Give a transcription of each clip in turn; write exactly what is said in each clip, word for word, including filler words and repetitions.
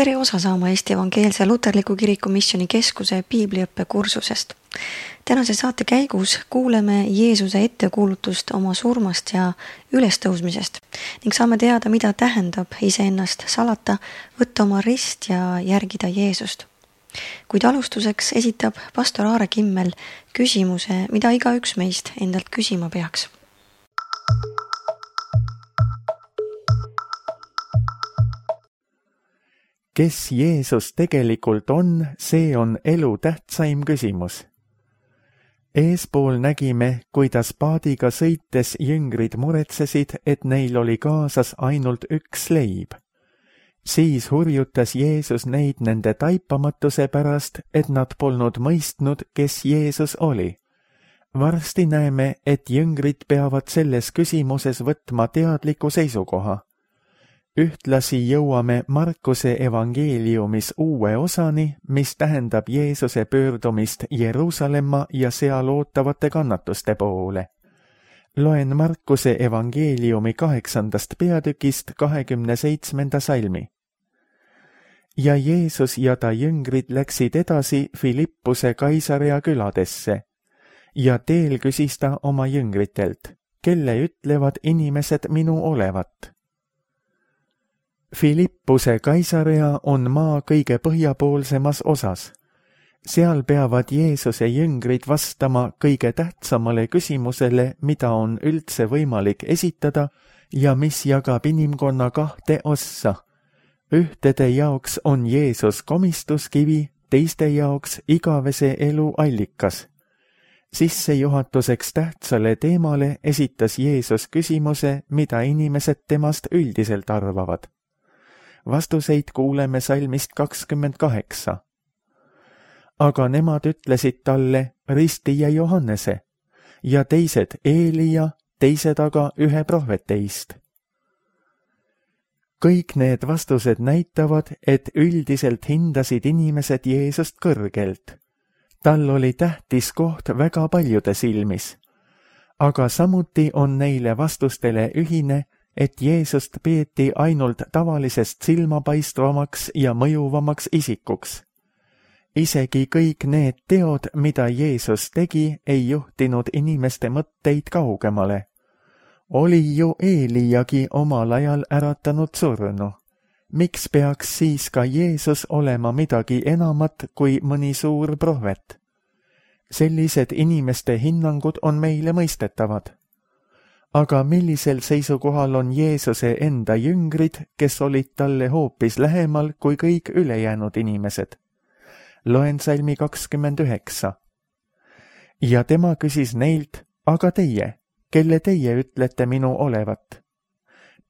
tere osa saama Eesti Evangeelse Luterliku Kiriku Missioni Keskuse piibliõppe kursusest. Tänase saate käigus kuuleme Jeesuse ettekuulutust oma surmast ja ülestõusmisest ning saame teada, mida tähendab iseennast salata, võtta oma rist ja järgida Jeesust. Kuid alustuseks esitab pastor Aare Kimmel küsimuse, mida igaüks meist endalt küsima peaks. Kes Jeesus tegelikult on, see on elu tähtsaim küsimus. Eespool nägime, kuidas paadiga sõites jüngrid muretsesid, et neil oli kaasas ainult üks leib. Siis hurjutas Jeesus neid nende taipamatuse pärast, et nad polnud mõistnud, kes Jeesus oli. Varsti näeme, et jüngrid peavad selles küsimuses võtma teadliku seisukoha. Ühtlasi jõuame Markuse evangeeliumis uue osani, mis tähendab Jeesuse pöördumist Jeruusalemma ja seal ootavate kannatuste poole. Loen Markuse evangeeliumi kaheksandast peatükist kahekümne seitsmenda salmi. Ja Jeesus ja ta jüngrid läksid edasi Filippuse Kaisarea küladesse. Ja teel küsis ta oma jüngritelt, kelle ütlevad inimesed minu olevat. Filippuse Kaisarea on maa kõige põhjapoolsemas osas. Seal peavad Jeesuse jüngrid vastama kõige tähtsamale küsimusele, mida on üldse võimalik esitada ja mis jagab inimkonna kahte ossa. Ühtede jaoks on Jeesus komistuskivi, teiste jaoks igavese elu allikas. Sissejuhatuseks tähtsale teemale esitas Jeesus küsimuse, mida inimesed temast üldiselt arvavad. Vastuseid kuuleme salmist kakskümmend kaheksa. Aga nemad ütlesid talle ristija Johannese ja teised Eelia, teised aga ühe prohveteist. Kõik need vastused näitavad, et üldiselt hindasid inimesed Jeesust kõrgelt. Tal oli tähtis koht väga paljude silmis. Aga samuti on neile vastustele ühine, et Jeesust peeti ainult tavalisest silmapaistvamaks ja mõjuvamaks isikuks. Isegi kõik need teod, mida Jeesus tegi, ei juhtinud inimeste mõtteid kaugemale. Oli ju Eeliagi omal ajal äratanud surnu. Miks peaks siis ka Jeesus olema midagi enamat kui mõni suur prohvet? Sellised inimeste hinnangud on meile mõistetavad. Aga millisel seisukohal on Jeesuse enda jüngrid, kes olid talle hoopis lähemal kui kõik ülejäänud inimesed? Loen salmi kakskümmend üheksa. Ja tema küsis neilt, aga teie, kelle teie ütlete minu olevat?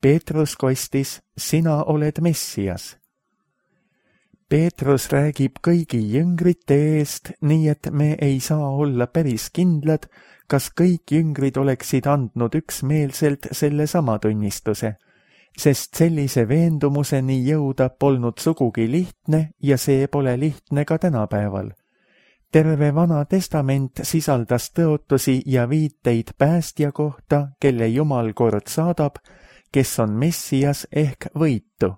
Peetrus kostis, sina oled Messias. Peetrus räägib kõigi jüngrite eest, nii et me ei saa olla päris kindlad, kas kõik jüngrid oleksid andnud üksmeelselt selle sama tunnistuse, sest sellise veendumuseni jõuda polnud sugugi lihtne ja see pole lihtne ka tänapäeval. Terve Vana Testament sisaldas tõotusi ja viiteid päästja kohta, kelle Jumal kord saadab, kes on Messias ehk võitu.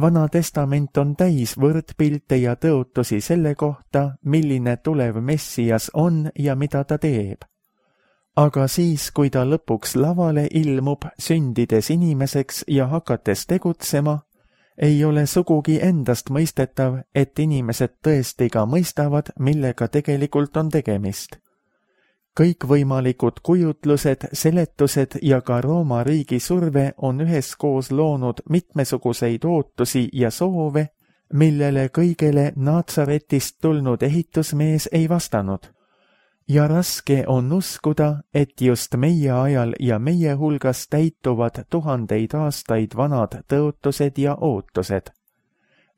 Vana Testament on täis võrdpilte ja tõotusi selle kohta, milline tulev Messias on ja mida ta teeb. Aga siis, kui ta lõpuks lavale ilmub, sündides inimeseks ja hakates tegutsema, ei ole sugugi endast mõistetav, et inimesed tõesti ka mõistavad, millega tegelikult on tegemist. Kõikvõimalikud kujutlused, seletused ja ka Rooma riigi surve on üheskoos loonud mitmesuguseid ootusi ja soove, millele kõigele Naatsaretist tulnud ehitusmees ei vastanud. Ja raske on uskuda, et just meie ajal ja meie hulgas täituvad tuhandeid aastaid vanad tõotused ja ootused.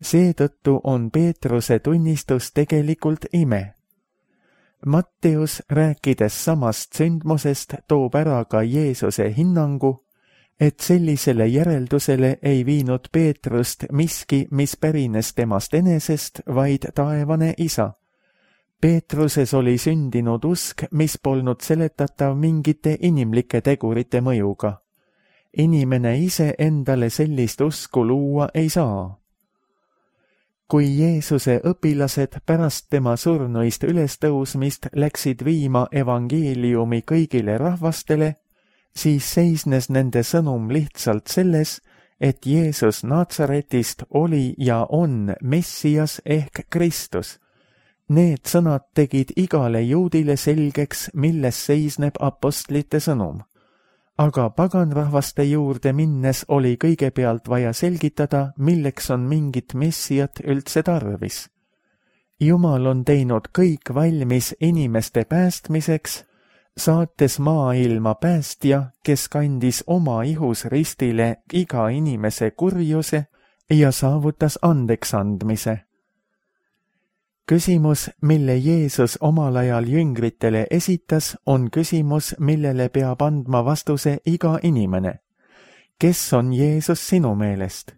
Seetõttu on Peetruse tunnistus tegelikult ime. Matteus, rääkides samast sündmusest, toob ära ka Jeesuse hinnangu, et sellisele järeldusele ei viinud Peetrust miski, mis pärines temast enesest, vaid taevane Isa. Peetruses oli sündinud usk, mis polnud seletatav mingite inimlike tegurite mõjuga. Inimene ise endale sellist usku luua ei saa. kui Jeesuse õpilased pärast tema surnuist ülestõusmist läksid viima evangeeliumi kõigile rahvastele, siis seisnes nende sõnum lihtsalt selles, et Jeesus Naatsaretist oli ja on Messias ehk Kristus. Need sõnad tegid igale juudile selgeks, milles seisneb apostlite sõnum. Aga paganrahvaste juurde minnes oli kõigepealt vaja selgitada, milleks on mingit Messiat üldse tarvis. Jumal on teinud kõik valmis inimeste päästmiseks, saates maailma päästja, kes kandis oma ihus ristile iga inimese kurjuse ja saavutas andeks andmise. Küsimus, mille Jeesus omal ajal jüngritele esitas, on küsimus, millele peab andma vastuse iga inimene. Kes on Jeesus sinu meelest?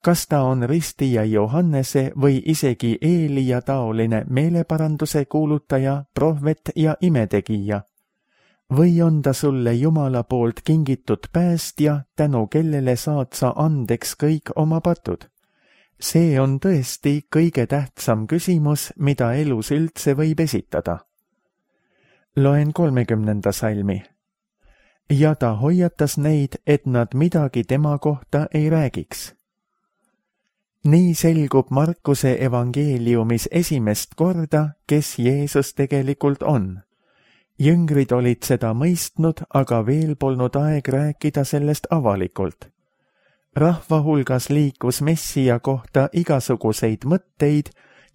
Kas ta on ristija Johannese või isegi Eelia taoline meeleparanduse kuulutaja, prohvet ja imetegija? Või on ta sulle Jumala poolt kingitud päästja, tänu kellele saad sa andeks kõik oma patud? See on tõesti kõige tähtsam küsimus, mida elus üldse võib esitada. Loen kolmekümnenda salmi. Ja ta hoiatas neid, et nad midagi tema kohta ei räägiks. Nii selgub Markuse evangeeliumis esimest korda, kes Jeesus tegelikult on. Jüngrid olid seda mõistnud, aga veel polnud aeg rääkida sellest avalikult. Rahva hulgas liikus Messia kohta igasuguseid mõtteid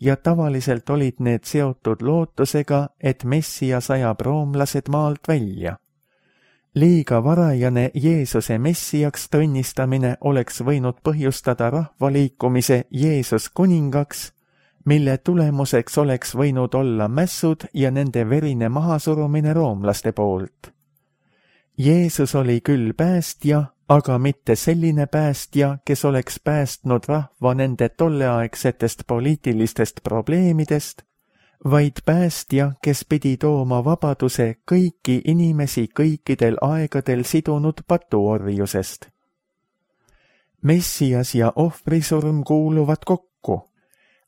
ja tavaliselt olid need seotud lootusega, et Messia sajab roomlased maalt välja. Liiga varajane Jeesuse Messiaks tunnistamine oleks võinud põhjustada rahvaliikumise Jeesus kuningaks, mille tulemuseks oleks võinud olla mässud ja nende verine mahasurumine roomlaste poolt. Jeesus oli küll päästja, aga mitte selline päästja, kes oleks päästnud rahva nende tolleaegsetest poliitilistest probleemidest, vaid päästja, kes pidi tooma vabaduse kõiki inimesi kõikidel aegadel sidunud patuorjusest. Messias ja ohvrisurm kuuluvad kokku.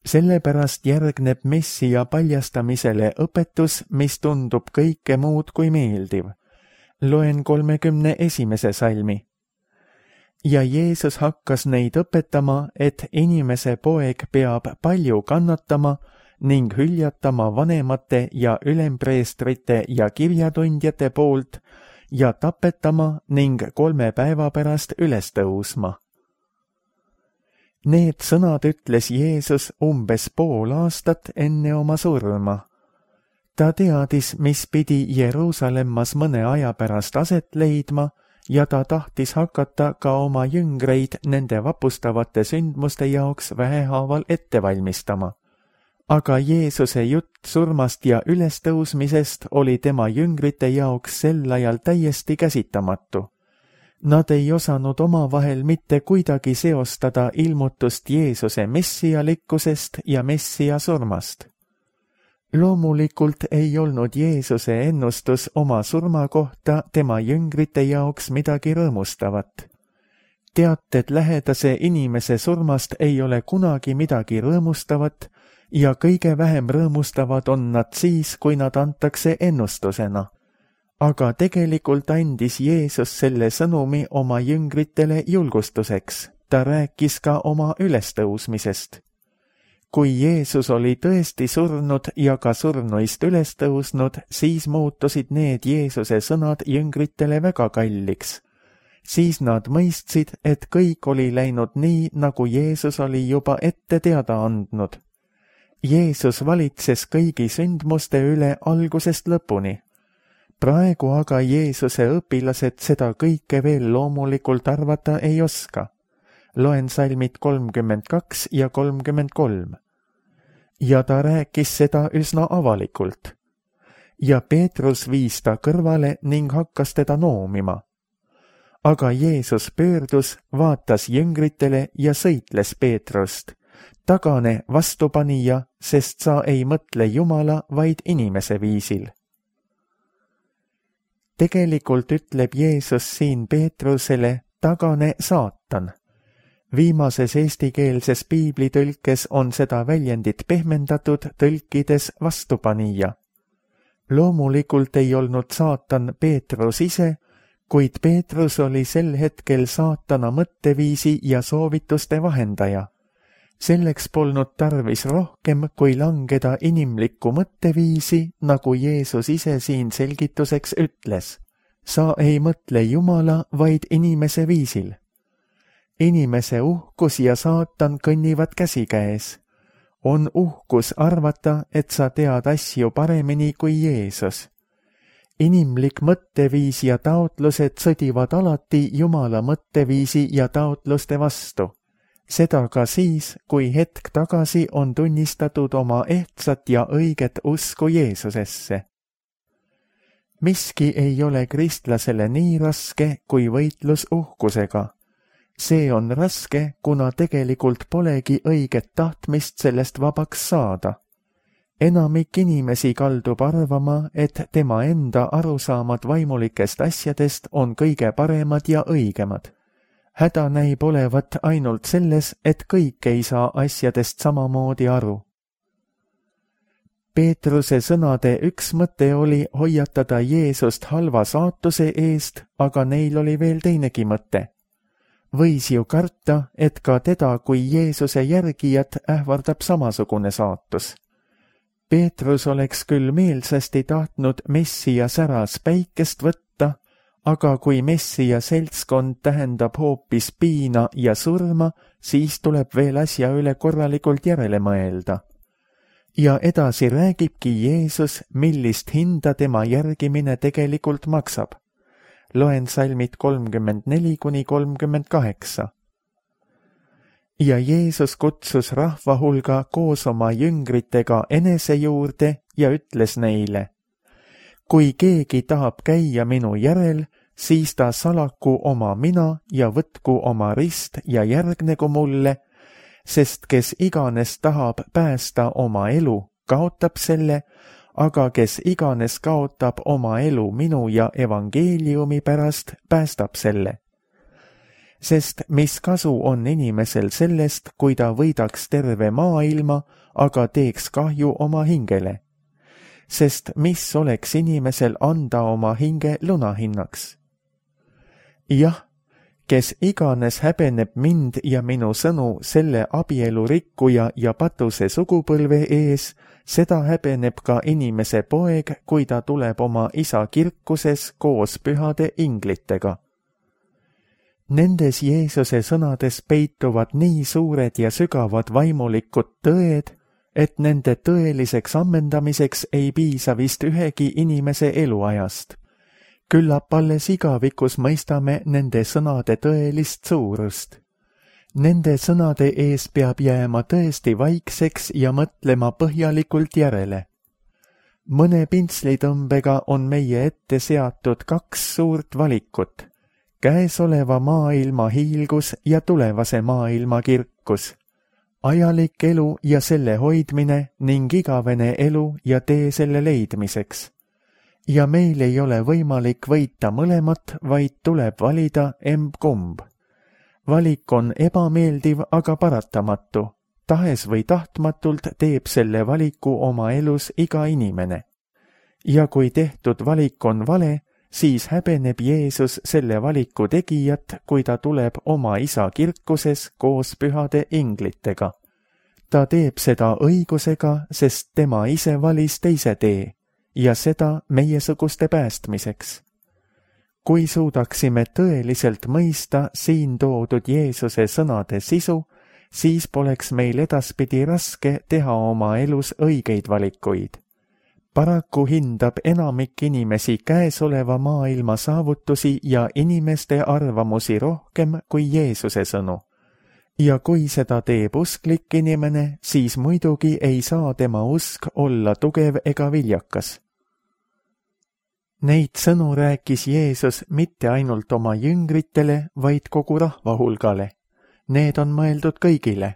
Sellepärast järgneb Messia paljastamisele õpetus, mis tundub kõike muud kui meeldiv. Loen kolmekümne esimese salmi. Ja Jeesus hakkas neid õpetama, et inimese poeg peab palju kannatama ning hüljatama vanemate ja ülempreestrite ja kirjatundjate poolt ja tapetama ning kolme päeva pärast üles tõusma. Need sõnad ütles Jeesus umbes pool aastat enne oma surma. Ta teadis, mis pidi Jeruusalemmas mõne aja pärast aset leidma, ja ta tahtis hakata ka oma jüngreid nende vapustavate sündmuste jaoks vähehaaval ette valmistama. Aga Jeesuse jutt surmast ja ülestõusmisest oli tema jüngrite jaoks sel ajal täiesti käsitamatu. Nad ei osanud omavahel mitte kuidagi seostada ilmutust Jeesuse messialikkusest ja messia surmast. Loomulikult ei olnud Jeesuse ennustus oma surma kohta tema jüngrite jaoks midagi rõõmustavat. Teated lähedase inimese surmast ei ole kunagi midagi rõõmustavat ja kõige vähem rõõmustavad on nad siis, kui nad antakse ennustusena. Aga tegelikult andis Jeesus selle sõnumi oma jüngritele julgustuseks. Ta rääkis ka oma ülestõusmisest. Kui Jeesus oli tõesti surnud ja ka surnuist üles tõusnud, siis muutusid need Jeesuse sõnad jüngritele väga kalliks. Siis nad mõistsid, et kõik oli läinud nii, nagu Jeesus oli juba ette teada andnud. Jeesus valitses kõigi sündmuste üle algusest lõpuni. Praegu aga Jeesuse õpilased seda kõike veel loomulikult arvata ei oska. Loen salmid kolmkümmend kaks ja kolmkümmend kolm. Ja ta rääkis seda üsna avalikult. Ja Peetrus viis ta kõrvale ning hakkas teda noomima. Aga Jeesus pöördus, vaatas jüngritele ja sõitles Peetrust. Tagane vastupanija, sest sa ei mõtle Jumala, vaid inimese viisil. Tegelikult ütleb Jeesus siin Peetrusele, tagane saatan. Viimases eestikeelses piiblitõlkes on seda väljendit pehmendatud tõlkides vastupanija. Loomulikult ei olnud saatan Peetrus ise, kuid Peetrus oli sel hetkel saatana mõtteviisi ja soovituste vahendaja. Selleks polnud tarvis rohkem, kui langeda inimlikku mõtteviisi, nagu Jeesus ise siin selgituseks ütles. Sa ei mõtle Jumala, vaid inimese viisil. Inimese uhkus ja saatan kõnnivad käsikäes. On uhkus arvata, et sa tead asju paremini kui Jeesus. Inimlik mõtteviis ja taotlused sõdivad alati Jumala mõtteviisi ja taotluste vastu. Seda ka siis, kui hetk tagasi on tunnistatud oma ehtsat ja õiget usku Jeesusesse. Miski ei ole kristlasele nii raske kui võitlus uhkusega. See on raske, kuna tegelikult polegi õiget tahtmist sellest vabaks saada. Enamik inimesi kaldub arvama, et tema enda arusaamad vaimulikest asjadest on kõige paremad ja õigemad. Häda näib olevat ainult selles, et kõik ei saa asjadest samamoodi aru. Peetruse sõnade üks mõte oli hoiatada Jeesust halva saatuse eest, aga neil oli veel teinegi mõte. Võis ju karta, et ka teda kui Jeesuse järgijat ähvardab samasugune saatus. Peetrus oleks küll meelsasti tahtnud Messia säras päikest võtta, aga kui Messia seltskond tähendab hoopis piina ja surma, siis tuleb veel asja üle korralikult järele mõelda. Ja edasi räägibki Jeesus, millist hinda tema järgimine tegelikult maksab. Loen salmid kolmkümmend neli kuni kolmkümmend kaheksa. Ja Jeesus kutsus rahva hulga koos oma jüngritega enese juurde ja ütles neile: Kui keegi tahab käia minu järel, siis ta salaku oma mina ja võtku oma rist ja järgnegu mulle, sest kes iganes tahab päästa oma elu, kaotab selle, aga kes iganes kaotab oma elu minu ja evangeeliumi pärast, päästab selle. Sest mis kasu on inimesel sellest, kui ta võidaks terve maailma, aga teeks kahju oma hingele? Sest mis oleks inimesel anda oma hinge lunahinnaks? Jah, kes iganes häbeneb mind ja minu sõnu selle abielu rikkuja ja patuse sugupõlve ees, seda häbeneb ka inimese poeg, kui ta tuleb oma isa kirkuses koos pühade inglitega. Nendes Jeesuse sõnades peituvad nii suured ja sügavad vaimulikud tõed, et nende tõeliseks ammendamiseks ei piisa vist ühegi inimese eluajast. Küllap alles igavikus mõistame nende sõnade tõelist suurust. Nende sõnade ees peab jääma tõesti vaikseks ja mõtlema põhjalikult järele. Mõne pintslitõmbega on meie ette seatud kaks suurt valikut: käesoleva maailma hiilgus ja tulevase maailma kirkus, ajalik elu ja selle hoidmine ning igavene elu ja tee selle leidmiseks. Ja meil ei ole võimalik võita mõlemat, vaid tuleb valida emb-kumb. Valik on ebameeldiv, aga paratamatu. Tahes või tahtmatult teeb selle valiku oma elus iga inimene. Ja kui tehtud valik on vale, siis häbeneb Jeesus selle valiku tegijat, kui ta tuleb oma isa kirkuses koos pühade inglitega. Ta teeb seda õigusega, sest tema ise valis teise tee, ja seda meiesuguste päästmiseks. Kui suudaksime tõeliselt mõista siin toodud Jeesuse sõnade sisu, siis poleks meil edaspidi raske teha oma elus õigeid valikuid. Paraku hindab enamik inimesi käesoleva maailma saavutusi ja inimeste arvamusi rohkem kui Jeesuse sõnu. Ja kui seda teeb usklik inimene, siis muidugi ei saa tema usk olla tugev ega viljakas. Neid sõnu rääkis Jeesus mitte ainult oma jüngritele, vaid kogu rahva hulgale. Need on mõeldud kõigile.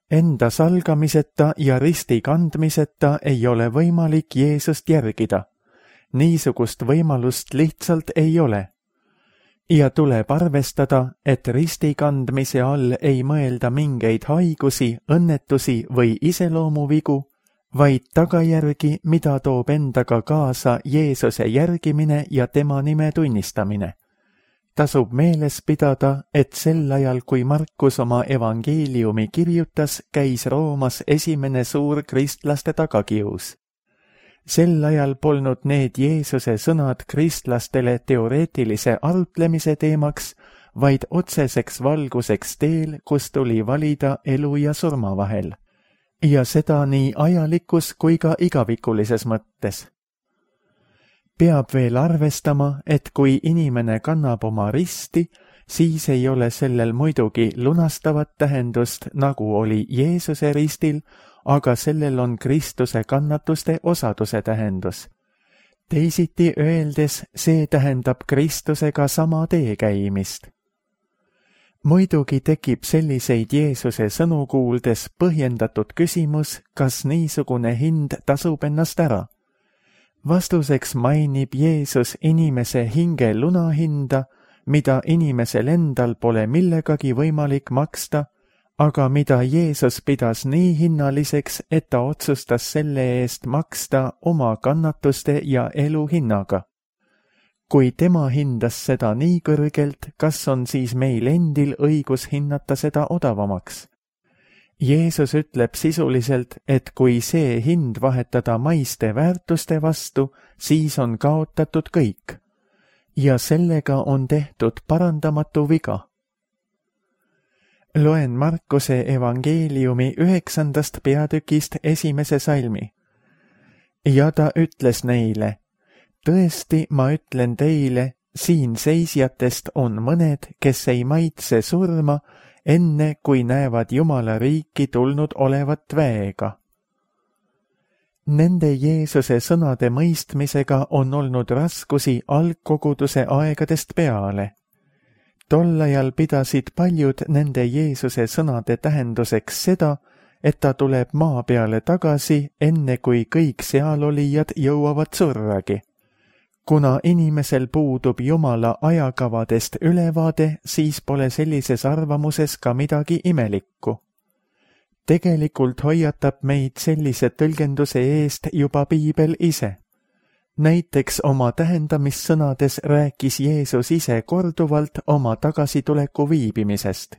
Enda salgamiseta ja risti kandmiseta ei ole võimalik Jeesust järgida. Niisugust võimalust lihtsalt ei ole. ja tuleb arvestada, et risti kandmise all ei mõelda mingeid haigusi, õnnetusi või iseloomuvigu, vaid tagajärgi, mida toob endaga kaasa Jeesuse järgimine ja tema nime tunnistamine. Tasub meeles pidada, et sel ajal, kui Markus oma evangeeliumi kirjutas, käis Roomas esimene suur kristlaste tagakius. Sel ajal polnud need Jeesuse sõnad kristlastele teoreetilise arutlemise teemaks, vaid otseseks valguseks teel, kus tuli valida elu ja surma vahel. Ja seda nii ajalikus kui ka igavikulises mõttes. Peab veel arvestama, et kui inimene kannab oma risti, siis ei ole sellel muidugi lunastavat tähendust, nagu oli Jeesuse ristil, aga sellel on Kristuse kannatuste osaduse tähendus. Teisiti öeldes, see tähendab Kristusega sama tee käimist. Muidugi tekib selliseid Jeesuse sõnu kuuldes põhjendatud küsimus, kas niisugune hind tasub ennast ära. Vastuseks mainib Jeesus inimese hinge lunahinda, mida inimesel endal pole millegagi võimalik maksta, aga mida Jeesus pidas nii hinnaliseks, et ta otsustas selle eest maksta oma kannatuste ja elu hinnaga. Kui tema hindas seda nii kõrgelt, kas on siis meil endil õigus hinnata seda odavamaks? Jeesus ütleb sisuliselt, et kui see hind vahetada maiste väärtuste vastu, siis on kaotatud kõik. Ja sellega on tehtud parandamatu viga. Loen Markuse evangeeliumi üheksandast peatükist esimese salmi. Ja ta ütles neile, tõesti, ma ütlen teile, siin seisjatest on mõned, kes ei maitse surma, enne kui näevad Jumala riiki tulnud olevat väega. Nende Jeesuse sõnade mõistmisega on olnud raskusi algkoguduse aegadest peale. Tol ajal pidasid paljud nende Jeesuse sõnade tähenduseks seda, et ta tuleb maa peale tagasi, enne kui kõik sealolijad jõuavad surragi. Kuna inimesel puudub Jumala ajakavadest ülevaade, siis pole sellises arvamuses ka midagi imelikku. Tegelikult hoiatab meid sellise tõlgenduse eest juba Piibel ise. Näiteks oma tähendamissõnades rääkis Jeesus ise korduvalt oma tagasituleku viibimisest.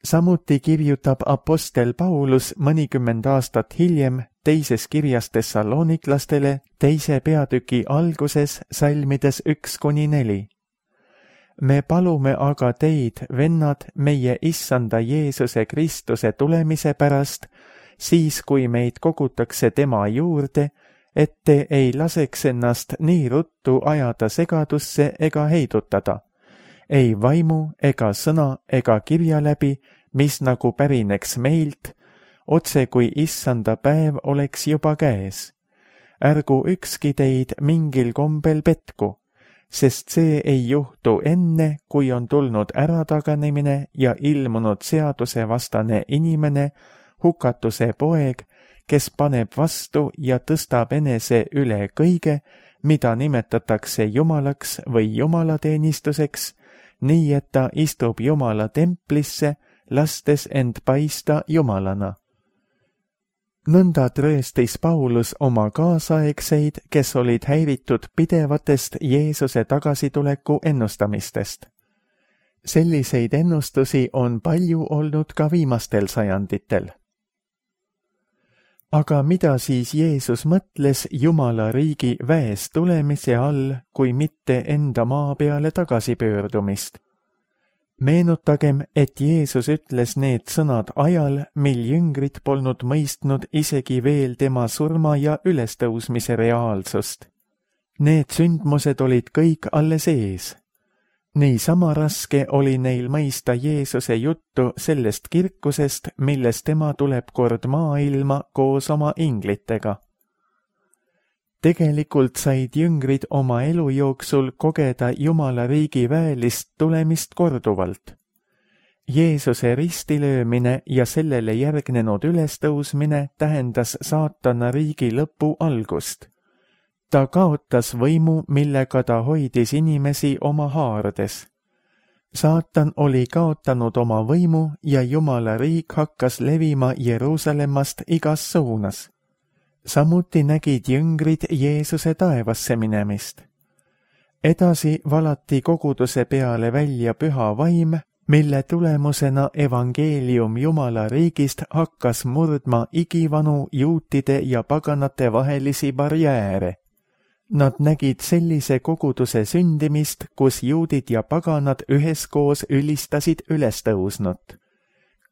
Samuti kirjutab apostel Paulus mõnikümmend aastat hiljem teises kirjas Thessaloniklastele teise peatüki alguses salmides üks kuni neli. Me palume aga teid, vennad, meie issanda Jeesuse Kristuse tulemise pärast, siis kui meid kogutakse tema juurde, et te ei laseks ennast nii ruttu ajada segadusse ega heidutada, ei vaimu ega sõna ega kirja läbi, mis nagu pärineks meilt, otse kui issanda päev oleks juba käes. Ärgu ükski teid mingil kombel petku, sest see ei juhtu enne, kui on tulnud ärataganemine ja ilmunud seadusevastane inimene, hukatuse poeg, kes paneb vastu ja tõstab enese üle kõige, mida nimetatakse jumalaks või jumalateenistuseks, nii et ta istub Jumala templisse, lastes end paista jumalana. Nõnda trööstis Paulus oma kaasaegseid, kes olid häiritud pidevatest Jeesuse tagasituleku ennustamistest. Selliseid ennustusi on palju olnud ka viimastel sajanditel. Aga mida siis Jeesus mõtles Jumala riigi väes tulemise all, kui mitte enda maa peale tagasipöördumist? Meenutagem, et Jeesus ütles need sõnad ajal, mil jüngrid polnud mõistnud isegi veel tema surma ja ülestõusmise reaalsust. Need sündmused olid kõik alles ees. Niisama raske oli neil mõista Jeesuse juttu sellest kirkusest, milles tema tuleb kord maailma koos oma inglitega. Tegelikult said jüngrid oma elu jooksul kogeda Jumala riigi väelist tulemist korduvalt. Jeesuse ristilöömine ja sellele järgnenud ülestõusmine tähendas saatana riigi lõpu algust. Ta kaotas võimu, millega ta hoidis inimesi oma haardes. Saatan oli kaotanud oma võimu ja Jumala riik hakkas levima Jeruusalemmast igas suunas. Samuti nägid jüngrid Jeesuse taevasse minemist. Edasi valati koguduse peale välja püha vaim, mille tulemusena evangeelium Jumala riigist hakkas murdma igivanu juutide ja paganate vahelisi barjääre. Nad nägid sellise koguduse sündimist, kus juudid ja paganad üheskoos ülistasid ülestõusnut.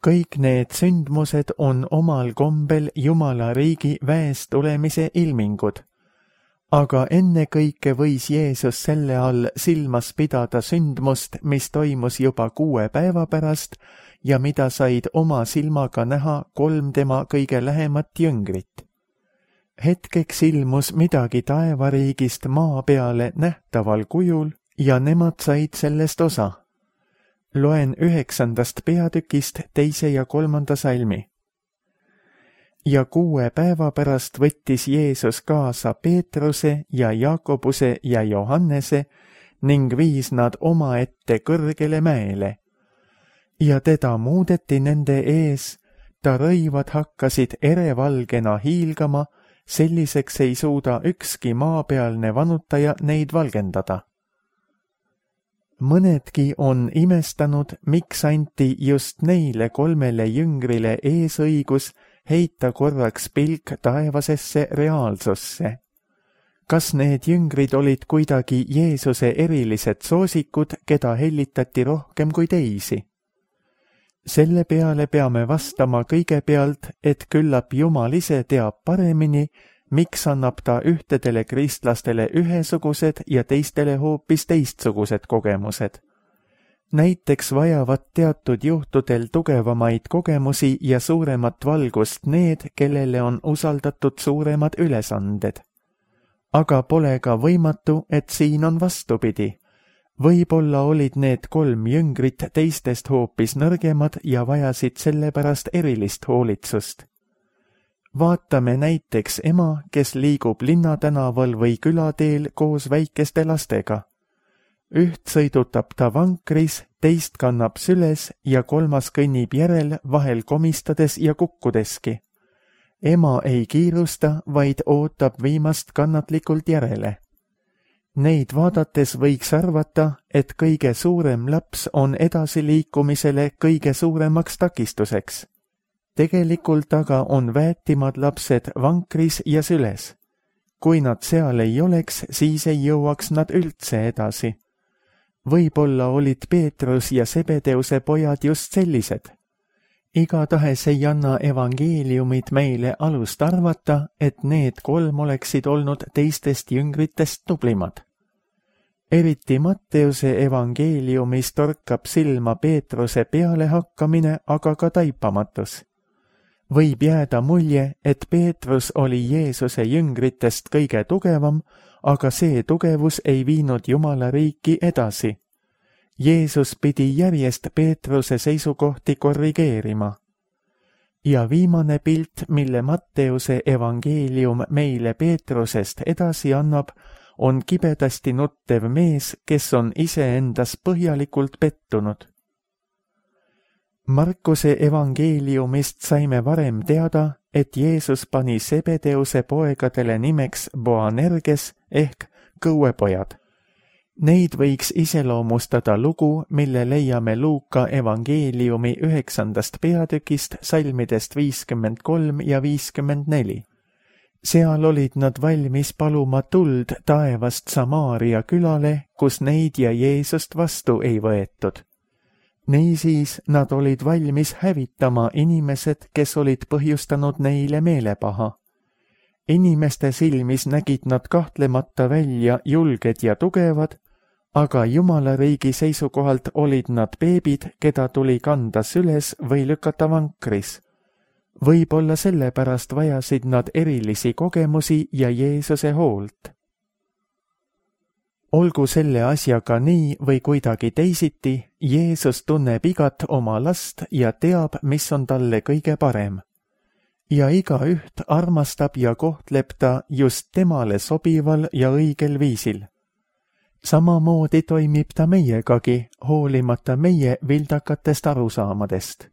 Kõik need sündmused on omal kombel Jumala riigi väest tulemise ilmingud. Aga ennekõike võis Jeesus selle all silmas pidada sündmust, mis toimus juba kuue päeva pärast ja mida said oma silmaga näha kolm tema kõige lähemat jüngrit. Hetkeks ilmus midagi taevariigist maa peale nähtaval kujul ja nemad said sellest osa. Loen üheksandast peatükist teise ja kolmanda salmi. Ja kuue päeva pärast võttis Jeesus kaasa Peetruse ja Jaakobuse ja Johannese ning viis nad omaette kõrgele mäele. Ja teda muudeti nende ees, ta rõivad hakkasid erevalgena hiilgama, selliseks ei suuda ükski maapealne vanutaja neid valgendada. Mõnedki on imestanud, miks anti just neile kolmele jüngrile eesõigus heita korraks pilk taevasesse reaalsusse. Kas need jüngrid olid kuidagi Jeesuse erilised soosikud, keda hellitati rohkem kui teisi? Selle peale peame vastama kõigepealt, et küllap Jumal ise teab paremini, miks annab ta ühtedele kristlastele ühesugused ja teistele hoopis teistsugused kogemused. Näiteks vajavad teatud juhtudel tugevamaid kogemusi ja suuremat valgust need, kellele on usaldatud suuremad ülesanded. Aga pole ka võimatu, et siin on vastupidi. Võib-olla olid need kolm jüngrit teistest hoopis nõrgemad ja vajasid sellepärast erilist hoolitsust. Vaatame näiteks ema, kes liigub linnatänaval või külateel koos väikeste lastega. Üht sõidutab ta vankris, teist kannab süles ja kolmas kõnnib järel, vahel komistades ja kukkudeski. Ema ei kiirusta, vaid ootab viimast kannatlikult järele. Neid vaadates võiks arvata, et kõige suurem laps on edasiliikumisele kõige suuremaks takistuseks. Tegelikult aga on väetimad lapsed vankris ja süles. Kui nad seal ei oleks, siis ei jõuaks nad üldse edasi. Võib-olla olid Peetrus ja Sebedeuse pojad just sellised. Igatahes ei anna evangeeliumid meile alust arvata, et need kolm oleksid olnud teistest jüngritest tublimad. Eriti Matteuse evangeeliumis torkab silma Peetruse pealehakkamine, aga ka taipamatus. Võib jääda mulje, et Peetrus oli Jeesuse jüngritest kõige tugevam, aga see tugevus ei viinud Jumala riiki edasi. Jeesus pidi järjest Peetruse seisukohti korrigeerima. Ja viimane pilt, mille Matteuse evangeelium meile Peetrusest edasi annab, on kibedasti nuttev mees, kes on iseendas põhjalikult pettunud. Markuse evangeeliumist saime varem teada, et Jeesus pani Sebedeuse poegadele nimeks Boanerges ehk kõuepojad. Neid võiks iseloomustada lugu, mille leiame Luuka evangeeliumi üheksandast peatükist salmidest viiskümmend kolm ja viiskümmend neli. Seal olid nad valmis paluma tuld taevast Samaaria külale, kus neid ja Jeesust vastu ei võetud. Niisiis nad olid valmis hävitama inimesed, kes olid põhjustanud neile meelepaha. Inimeste silmis nägid nad kahtlemata välja julged ja tugevad, aga Jumala riigi seisukohalt olid nad beebid, keda tuli kanda süles või lükata vankris. Võib-olla sellepärast vajasid nad erilisi kogemusi ja Jeesuse hoolt. Olgu selle asjaga nii või kuidagi teisiti, Jeesus tunneb igat oma last ja teab, mis on talle kõige parem. Ja igaüht armastab ja kohtleb ta just temale sobival ja õigel viisil. Samamoodi toimib ta meiegagi, hoolimata meie vildakatest arusaamadest.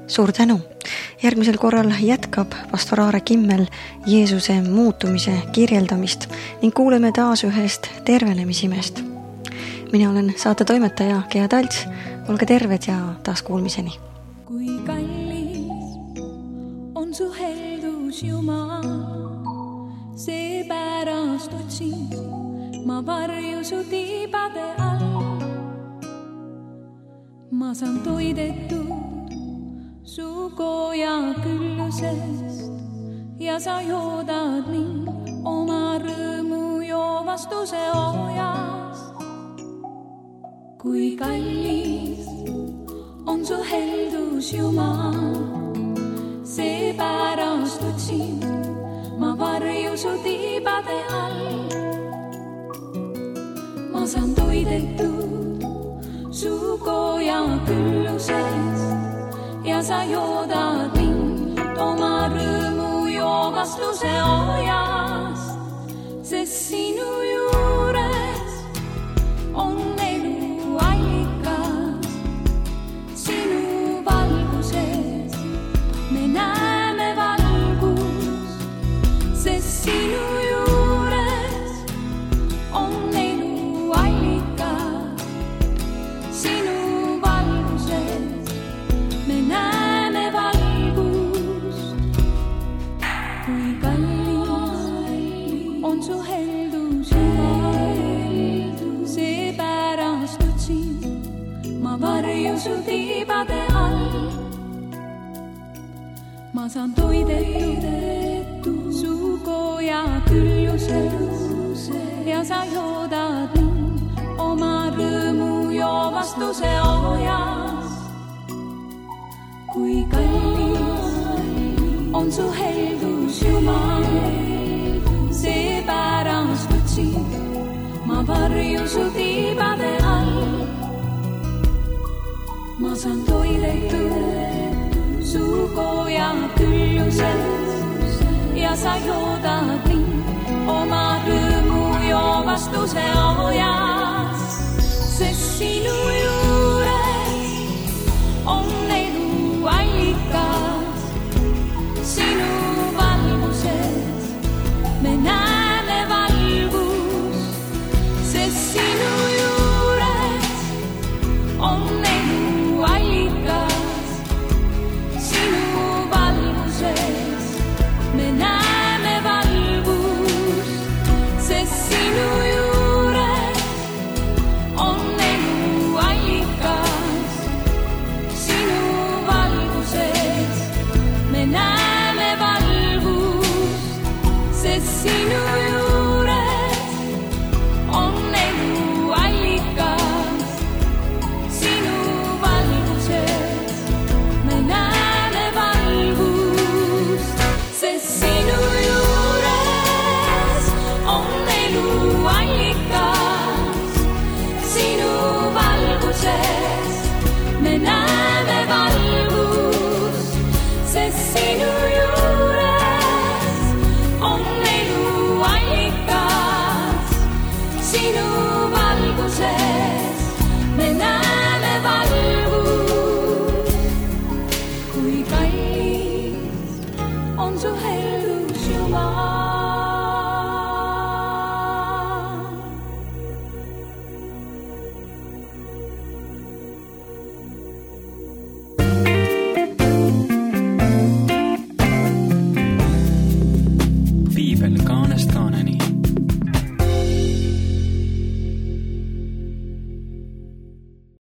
Suur tänu! Järgmisel korral jätkab pastor Aare Kimmel Jeesuse muutumise kirjeldamist ning kuuleme taas ühest tervenemisimest. Mina olen saate toimetaja Gea Talts, olge terved ja taas kuulmiseni. Kui kallis on su heldus Jumal, seepärast otsin ma varju su tiibade all. Ma saan toidetud su koja küllusest ja sa joodad mind oma rõõmu joovastuse ojast. Kui kallis on su heldus Jumal, seepärast otsin ma varju su tiibade all. Ma saan toidetud su koja küllusest ja sa joodad mind oma rõõmu joovastuse ojast, sest sinu juures on elu allikas. Sinu valguses me näeme valgust, sest sinu juures on elu allikas. Sinu valguses me näeme valgust. Kui kallis on su heldus Jumal, seepärast otsin ma varju su tiibade all. Ma saan toidetud su koja küllusest ja sa joodad mind oma rõõmu joovastuse ojast. Kui kallis on su heldus Jumal, seepärast otsin ma varju su tiibade all. Ma saan toidetud su koja küllusest ja sa joodad mind oma rõõmu joovastuse ojast, sest sinu juures on elu allikas. Sinu valguses me näeme valgust, sest sinu juures on elu allikas. Sinu valguses me näeme valgust, sest sinu juures on elu allikas. Sinu valguses me näeme valgust, sest sinu juures on elu allikas. Sinu valguses me näeme valgust, sest sinu juures on elu allikas. Sinu valguses me näeme valgust, sest sinu juures on elu allikas. Sinu valguses